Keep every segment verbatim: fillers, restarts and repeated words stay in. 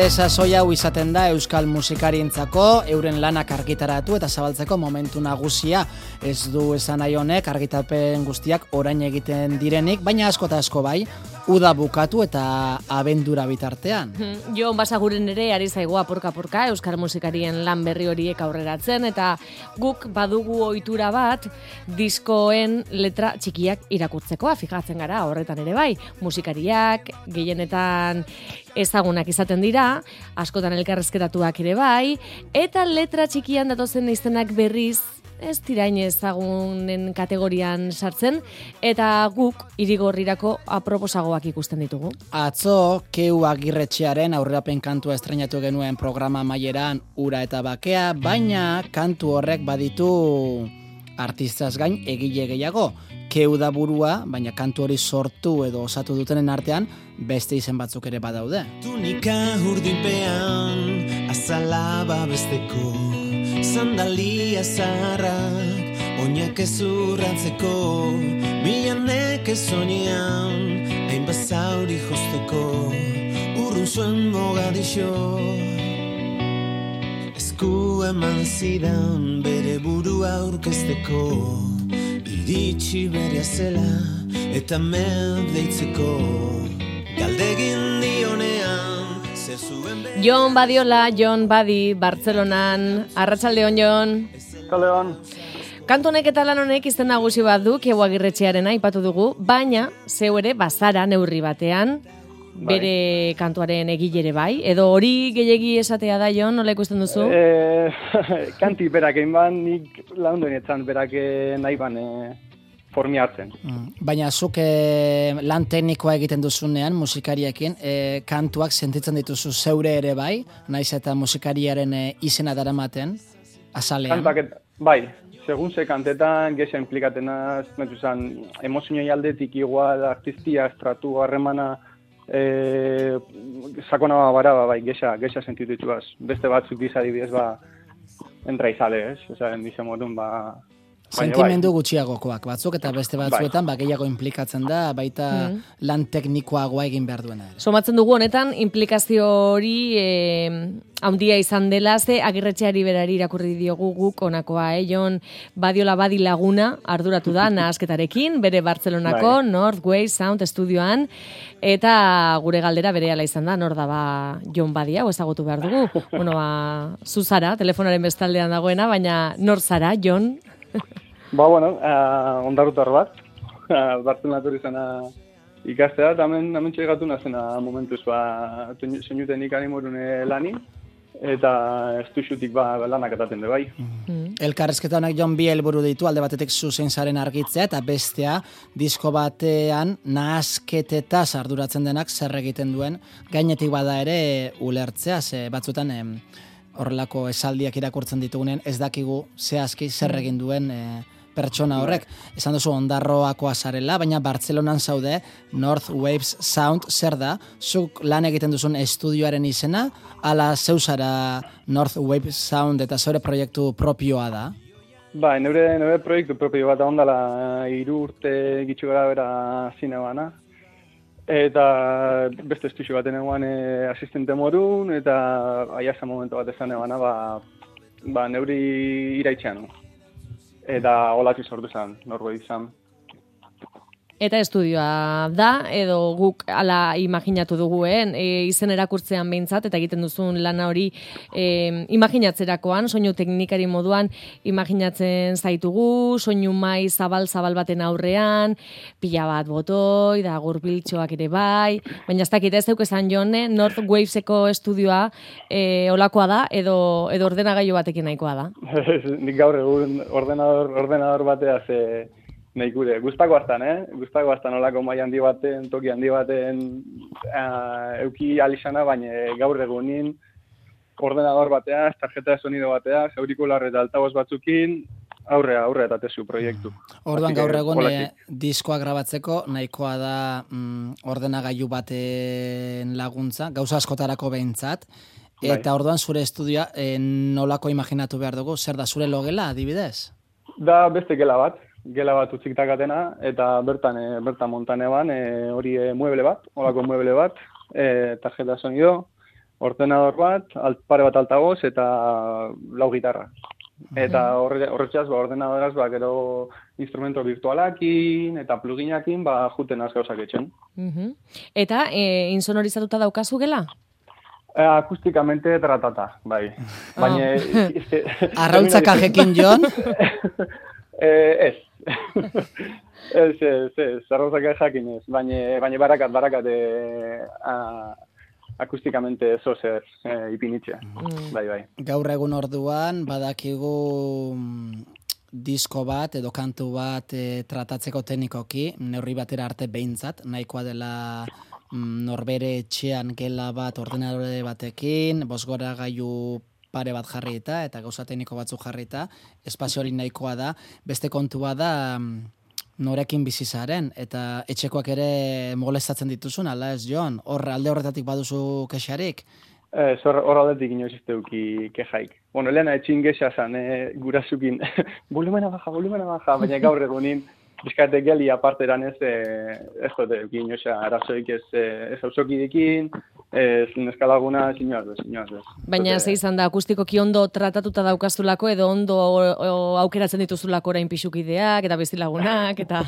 Beste sasoi hau izaten da euskal musikarientzako euren lanak argitaratu eta zabaltzeko momentu nagusia. Ez du esan nahi honek argitapen guztiak orain egiten direnik, baina asko eta asko bai, uda bukatu eta abendura bitartean. Jon Basaguren ere ari zaigu apurka-apurka euskal musikarien lan berri horiek aurreratzen, eta guk badugu ohitura bat diskoen letra txikiak irakurtzekoa, fijatzen gara horretan ere bai. Musikariak gehienetan ezagunak izaten dira, askotan elkarrezketatuak ere bai, eta letra txikian datozen izenak berriz ez dirain ezagunen kategorian sartzen, eta guk irigorrirako aproposagoak ikusten ditugu. Atzo, Keu Agirretxearen aurrerapen kantua estrenatu genuen programa amaieran Ura eta Bakea, baina kantu horrek baditu artistaz gain egile gehiago. Keu da burua, baina kantu hori sortu edo osatu dutenen artean beste izen batzuk ere badaude. Tunika urdinpean azala babesteko, sandalia zaharrak oinak ezurratzeko, milanek ezonean hain bazauri josteko, urrun zuen mogadixo. Esku eman zidan bere burua aurkezteko, iritsi berea zela eta med deitzeko, galdegin dionean zer zuen bere... Jon Badiola, Jon Badi, Bartzelonan. Arratsaldeon, Jon. Arratsaldeon. Kantu honek eta lan honek izen nagusi bat du, Keu Agirretxearena aipatu dugu, baina zeu ere bazara neurri batean, bere bai. Kantuaren egilere bai, edo hori gehiegi esatea da, Jon, nola ikusten duzu? E, kanti berak egin ban, nik laundu enetzan berak nahi ban e, formi hartzen. Mm. Baina zuk e, lan teknikoa egiten duzunean musikariekin, e, kantuak sentitzen dituzu zeure ere bai, naiz eta musikariaren e, izena daramaten, azalean? Kantak, bai, segun ze kantetan gesa implikatena, metuzan, emozioi aldetik igual, artistia, estratu, harremana, Eh, sakona bara, bai, gesa, gesa sentitu dituaz. Beste batzuk diza dibidez, ba, entra izale, ez? Osa, dize modun, ba... Sentimendu bai. Gutxiagokoak batzuk, eta beste batzuetan, bai. Ba, gehiago implikatzen da, baita mm. lan teknikoagoa egin behar duena. Somatzen dugu honetan, implikazio hori e, handia izan dela, ze Agirretxeari berari irakurri diogu guk onakoa, eh? Jon Badiola Badi laguna arduratu da nahasketarekin, bere Bartzelonako bai. North Wave Sound Studioan, eta gure galdera berehala izan da, nor da ba Jon Badi hau ezagutu behar dugu. Bueno, ba, zu zara, telefonaren bestaldean dagoena, baina nor zara, Jon? Ba, bueno, uh, ondarrutar bat, uh, Bartzelonatu izana ikastea, eta hemen, hemen txegatu nazena momentuz, ba, soinuten ikani morune lani, eta estuxutik ba, lanak etaten de bai. Mm. Elkarrezketa honek Jon bi helburu ditu, alde batetik zuzen zaren argitzea, eta bestea, disko batean nahasketetaz arduratzen denak zer egiten duen, gainetik bada ere ulertzea, ze batzutan... Em, horrelako esaldiak irakurtzen ditugunen, ez dakigu zehazki zer egin duen e, pertsona horrek. Esan duzu ondarroakoa zarela, baina Bartzelonan zaude, North Waves Sound zer da? Zuk lan egiten duzun estudioaren izena, ala zeuzara North Waves Sound eta zeure proiektu propioa da? Ba, neure, neure proiektu propio bat ondala hiru urte gitxu gara bera zine bana. Eta beste estudio baten eguan e, asistente morun, eta aiasa momentu bat ezan egana, ba, ba neuri iraitxean. Eta holatzi sortu zen, norbait izan. Eta estudioa da, edo guk ala imaginatu duguen, e, izen erakurtzean behintzat, eta egiten duzun lana hori e, imaginatzerakoan, soinu teknikari moduan imaginatzen zaitugu, soinu mai zabal-zabal baten aurrean, pila bat botoi, da gurpiltxoak ere bai, baina ez dakit ez zeuk esan Jone, North Waveseko estudioa e, olakoa da, edo, edo ordenagailu batekin nahikoa da? Nik gaur egun ordenador, ordenador bateaz... E... Nahi gure, guztako hartan, eh? Guztako hartan olako mai handi baten, toki handi baten uh, euki alizana, baina gaur egunin ordenador bateaz, tarjeta de sonido bateaz, aurikular eta altaboz batzukin, aurrea, aurrea eta tezu proiektu. Orduan gaur egun e, diskoa grabatzeko nahikoa da mm, ordenagailu baten laguntza, gauza askotarako behintzat, eta bai. Orduan zure estudioa e, nolako imaginatu behar dugu, zer da zure logela adibidez? Da beste gela bat. Gela bat utzik takatena, eta bertan, e, bertan montan eban, e, hori e, mueble bat, holako mueble bat, e, tarjeta sonido, ordenador bat, alt, pare bat altagoz eta lau gitarra. Eta horre, horretxaz, ba, ordenadoraz, ba, gero instrumento virtualakin eta pluginakin, ba, juten az gauzak etxen. Uh-huh. Eta, e, insonorizatuta daukazu gela? Eh, akustikamente tratata, bai. Baina... Oh. Arrautzak ajekin, Jon? eh, ez. ez, ez, ez. Arrautzak ajekin ez. Baina, baina barakat, barakat, eh, a, akustikamente zozer eh, ipinitxe. Mm. Bai, bai. Gaur egun orduan, badakigu disko bat edo kantu bat e, tratatzeko teknikoki, neurri batera arte behintzat, nahikoa dela mm, norbere etxean gela bat ordenadore batekin, bosgora gailu pare bat jarrita eta gauza tekniko batzuk jarrita, espazio hori nahikoa da, beste kontua da norekin bizizaren, eta etxekoak ere molestatzen dituzun, ala ez, Jon? Hor alde horretatik baduzu kexarik? Ez, hor, hor aldetik inoiz izteuki kejaik. Bueno, lehena etxin gexa zan, e, gurasukin, volumena baja, volumena baja, baina gaur egunin, bizkate geli aparteran ez, e, ez dute, inoiza, arazoik ez, ez ausokidekin, ez neskalaguna, inoaz bez, inoaz bez. Baina ze izan da, akustikoki ondo tratatuta daukazulako, edo ondo o, o, aukeratzen dituzulako orain pixukideak, eta bestilagunak, eta...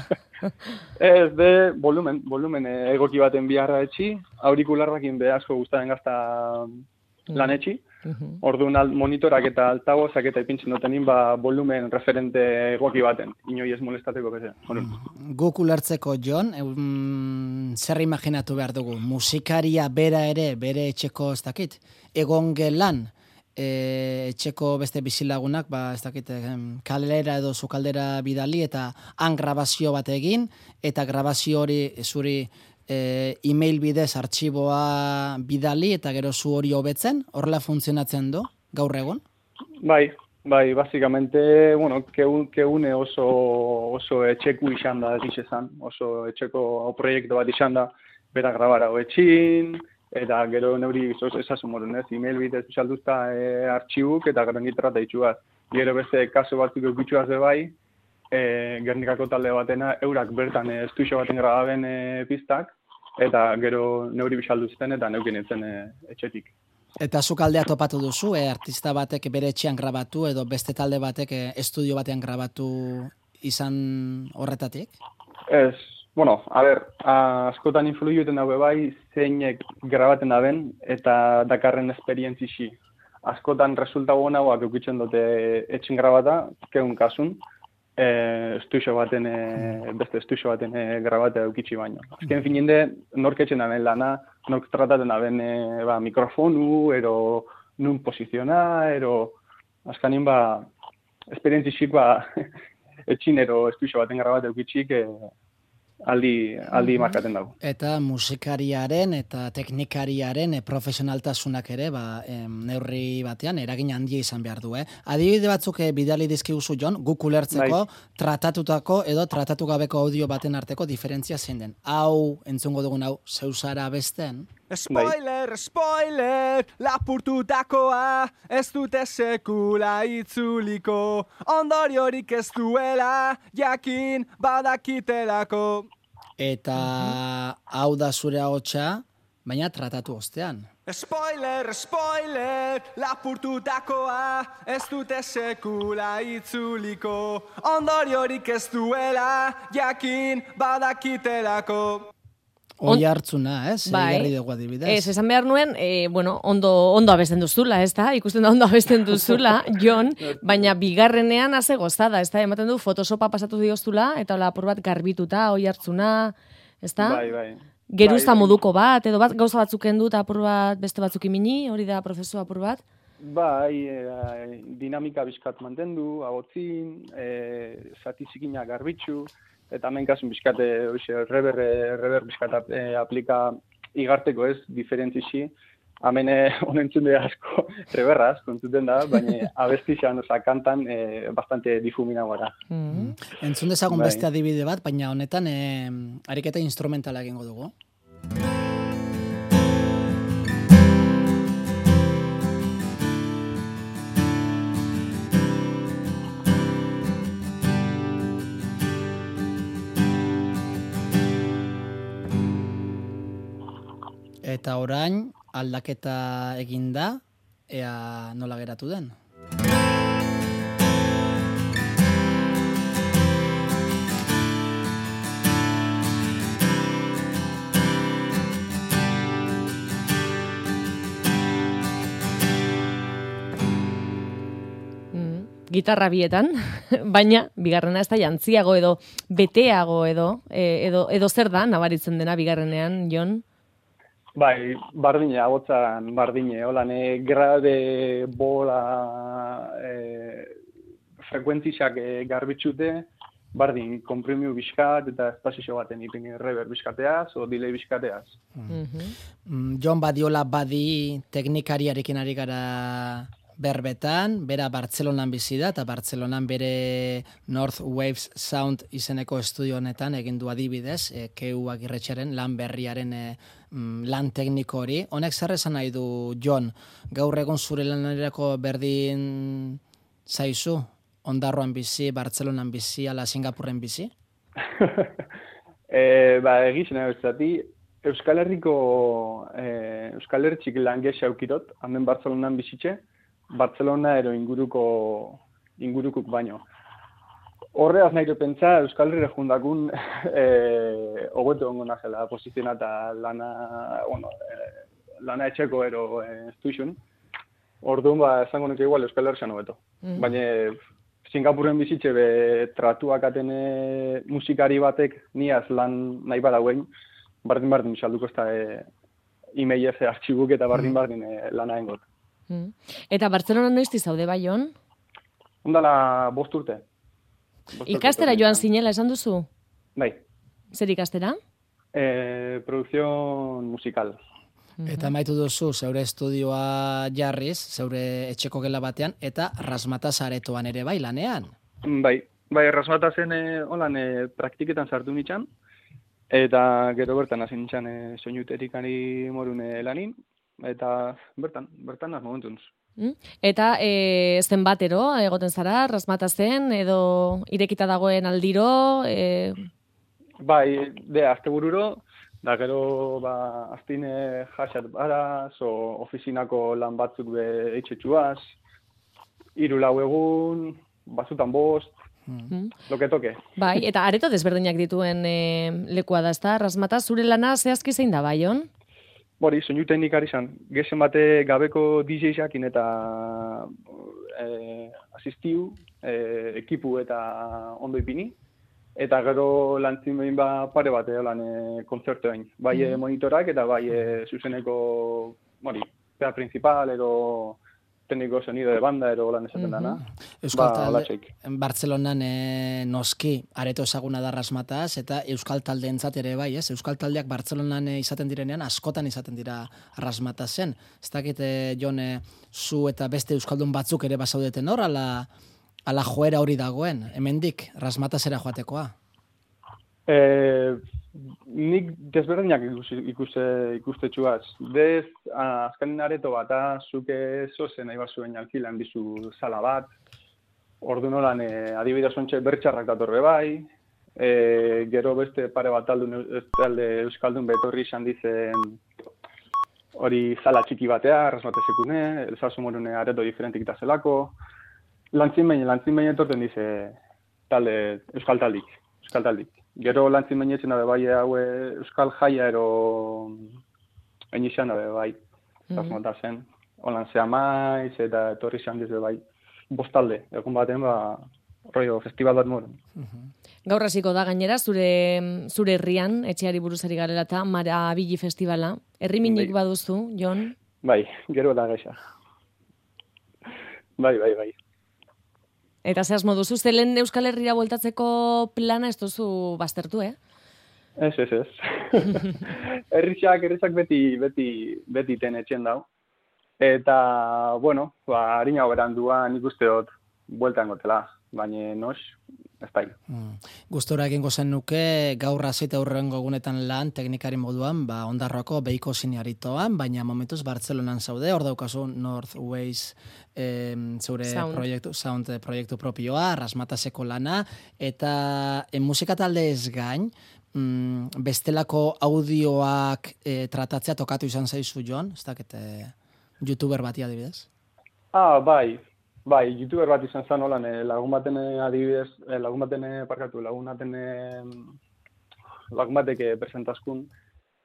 Ez, de, volumen, volumen egoki baten biharra etxi, aurikularrakin be asko guztaren gazta lan etxi, uh-huh. Orduan monitorak eta altagozak eta ipintzen dutenin, ba, volumen referente egoki baten, inoi ez molestateko beze. Guk ulertzeko, Jon, um, zer imaginatu behar dugu? Musikaria bera ere, bere etxeko ez dakit, egon gelan, e, etxeko beste bizilagunak, ba, ez dakit, kalera edo zukaldera bidali, eta han grabazio bat egin, eta grabazio hori zuri e, e-mail bidez artxiboa bidali, eta gero zu hori hobetzen, horrela funtzionatzen du, gaur egun? Bai, bai, basikamente, bueno, keune oso, oso etxeku izan da, ez izan, oso etxeko proiektu bat izan da, bera grabara hoetxin, eta gero neuri esasun moren, ez, e-mail bidez bisalduzta e, artxibuk, eta gero gitarra itxuaz. Gero beste kaso batzuk eukitxuaz de bai, e, Gernikako talde batena, eurak bertan e, estuixo baten grababen e, pistak, eta gero neuri bisalduzten eta neukin etzen e, etxetik. Eta zuk aldea topatu duzu, e, artista batek bere etxean grabatu, edo beste talde batek e, estudio batean grabatu izan horretatik? Ez. Bueno, a ber, askotan influiuten daue bai, zeinek grabaten daben, eta dakarren esperientzixi. Askotan resulta guanagoak eukitzen dute etxin grabata, keun kasun, e, estuixo baten, e, beste estuixo baten e, grabata eukitzi baino. Azken fininde, nork etxen daben lana, nork trataten daben e, ba, mikrofonu, ero nun posiziona, ero azkanin ba, esperientzixik ba, etxin ero estuixo baten grabata eukitzik, e, aldi, aldi markaten dago. Eta musikariaren eta teknikariaren e, profesionaltasunak ere, ba, em, neurri batean, eragin handia izan behar du, eh? Adibide batzuk e, bidali dizkiguzu, Jon, guk ulertzeko, bai. Tratatutako edo tratatu gabeko audio baten arteko diferentzia zein den. Hau, entzungo dugun hau, zeuzara besten? Spoiler, spoiler, lapurtutakoa, ez dute sekula itzuliko, ondoriorik ez duela, jakin badakitelako. Eta hau da zure ahotsa, baina tratatu ostean. Spoiler, spoiler, lapurtutakoa, ez dute sekula itzuliko, ondoriorik ez duela, jakin badakitelako. Oi hartzuna, ez? Bai. Jarri dugu adibidez. Ez, esan behar nuen, e, bueno, ondo, ondo abesten duzula, ez da? Ikusten da ondo abesten duzula, Jon, baina bigarrenean haze gozada, ez da? Ematen du, Photoshopa pasatu dioztula, eta hola apur bat garbituta, oi hartzuna, ez da? Bai, bai. Geruzta bai, moduko bat, edo bat, gauza batzuk kendu eta apur bat beste batzuk imini, hori da prozesu apur bat? Bai, e, dinamika bizkat mantendu, agotzin, e, zati zikina garbitzu, eta hemen kasun bizkate, reber, reber bizkat e, aplika igarteko ez, diferentzixi. Hemen honentzun asko reberraz, kontzuten da, baina abestixan, oza, kantan, e, bastante difumina gara. Mm-hmm. Entzun dezagun bai. Beste adibide bat, baina honetan e, ariketa instrumentala egingo dugu. Eta orain, aldaketa eginda, ea nola geratu den. Gitarra bietan, baina bigarrena ez da jantziago edo beteago edo, edo, edo zer da nabaritzen dena bigarrenean, Jon? Bai, bardine, abotzan bardine, holan, e, grade, bola, e, frekuentizak e, garbitxute, bardin, komprimiu bizkat eta espazio baten ipin rever bizkateaz, o delay bizkateaz. Mm. Jon Badiola badi teknikariarekin ari gara berbetan, bera Bartzelonan bizi da, eta Bartzelonan bere North Waves Sound izeneko estudio honetan egin du adibidez, e, Keu Agirretxeren lan berriaren e, lan tekniko hori. Honek zer esan nahi du, Jon? Gaur egon zure lanerako berdin zaizu? Ondarroan bizi, Bartzelonan bizi, ala Singapurren bizi? e, ba, egizien abezati, Euskal Herriko, e, Euskal Herritxik langesa eukirot, handen Bartzelonan bizitxe, Bartzelona ero inguruko ingurukuk baino. Horreaz nahi pentsa Euskal Herrire jundakun eh hobeto ongo nazela posizioa eta lana, bueno, eh, lana etxeko ero estuixun. Orduan ba esango nuke igual Euskal Herrian hobeto. Mm-hmm. Baina Singapurren bizitze be tratuak atene musikari batek niaz lan nahi badauen, bardin bardin salduko ezta e, emailez artxibuk eta bardin bardin e, lana engot. Eta Bartzelona noizti zaude bai, Jon? Ondala bost urte. Bost ikastera urte, joan zinela esan duzu? Bai. Zer ikastera? Eh, producción musical. Eta maitu duzu zeure estudioa jarriz, zeure etxeko gela batean, eta Rasmataz aretoan ere bai lanean. Bai, bai Rasmatazen e, holan e, praktiketan sartu nitxan, eta gero bertan hasi nitxan e, soinuterikari morune lanin, eta bertan, bertan az momentunz. Eta e, zenbatero egoten zara, Rasmatazen, edo irekita dagoen aldiro? E... Bai, de, astebururo, da gero, ba, aztine jasat baraz, o ofizinako lan batzuk be eitxetxuaz, hiru lau egun, bazutan bost, mm. loke toke. Bai, eta areto desberdinak dituen e, lekua da, ezta? Rasmataz, zure lana zehazki zein da, bai, Jon? Bori, soinu teknikari izan. Gezen bate gabeko D J-jakin eta e, asistiu, e, ekipu eta ondo ipini. Eta gero lantzin behin ba pare bate lan e, kontzertoen. Bai mm. monitorak eta bai e, zuzeneko, bori, pea principal, ero tekniko sonido de banda, ero lan esaten mm-hmm. dana. Euskal ba, talde, Bartzelonan e, noski areto ezaguna da Rasmataz, eta Euskal taldeentzat ere bai, ez? Euskal taldeak Bartzelonan e, izaten direnean, askotan izaten dira Rasmatazen. Ez dakit, e, Jon, e, zu eta beste Euskaldun batzuk ere basaudeten hor, ala, ala joera hori dagoen, hemendik Rasmatazera joatekoa? E, nik desberdinak ikuste, ikustetxuaz. Bez, azkanin areto bat, zuke zozen nahi bazuen alkilan dizu sala bat, ordu nolan e, adibidez ontsa bertxarrak datorbe bai, e, gero beste pare bat talde, talde Euskaldun betorri izan dizen hori sala txiki batea, Rasmatazekune, elzazu morune areto diferentik eta zelako, lantzin behin, lantzin behin etorten dize talde, Euskal taldik, Euskal taldik. Gero lantzin behinetzen dabe bai haue Euskal jaia ero enizan dabe bai, Rasmatazen. Mm-hmm. Holan zea maiz eta etorri izan dize bai, bostalde, egun baten ba, rollo, festival bat moren. Mm-hmm. Gaur hasiko da gainera, zure, zure herrian, etxeari buruzari garela eta Marabili festivala. Herriminik bai. Baduzu, Jon? Bai, gero da gaixa. Bai, bai, bai. Eta zehaz moduzu, zelen Euskal Herria bueltatzeko plana ez duzu baztertu, eh? Ez, ez, ez. Herriak, herriak beti, beti, beti ten etxen dau. Eta, bueno, ba, harina beran duan nik uste dut bueltan gotela, baina nos, ez da. Mm. Gustora egingo zen nuke gaur hasita hurrengo egunetan lan teknikari moduan, ba Ondarroako Beiko Siniaritoan, baina momentuz Bartzelonan zaude, hor daukazu North Waves eh, zure sound. proiektu, sound proiektu propioa, Rasmatazeko lana, eta en musika talde ez gain, mm, bestelako audioak e, tratatzea tokatu izan zaizu, Jon? Ez dakit, e, youtuber bati adibidez? Ah, bai, bai, youtuber bat izan zen holan, eh, lagun baten eh, adibidez, eh, lagun baten eh, parkatu, lagun baten eh, lagun batek eh, presentaskun,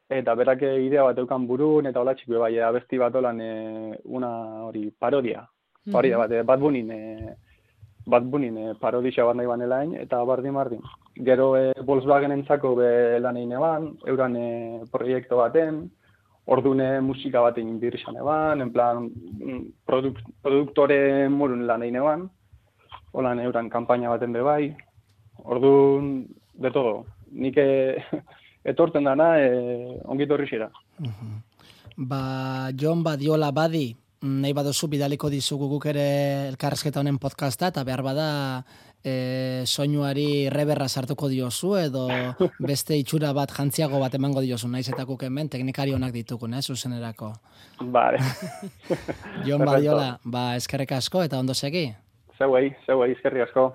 eta berak eh, idea bat eukan burun, eta hola txikue bai, abesti bat holan, eh, una hori parodia, parodia bat, eh, Bad Bunnyn, eh, Bad Bunnyn eh, parodisa bat nahi banelain, eta bardin bardin. Gero eh, Volkswagen entzako be lan egin eban, euran eh, proiektu baten, ordune musika baten inbirrizan eban, en plan produk, produktore morun lan egin eban, holan euran kanpaina baten be bai, ordun de todo. Nik eh, etorten dana eh, ongito horrixera. Uh-huh. Ba, Jon Badiola Badi, nahi baduzu bidaliko dizugu guk ere elkarrezketa honen podcasta, eta behar bada e, soinuari reberra sartuko diozu, edo beste itxura bat jantziago bat emango diozu, naiz eta guk hemen teknikari honak ditugun, eh, zuzenerako. Vale. Jon Badiola, ba, eskerrek asko eta ondo segi. Zeuei, zeuei, eskerri asko.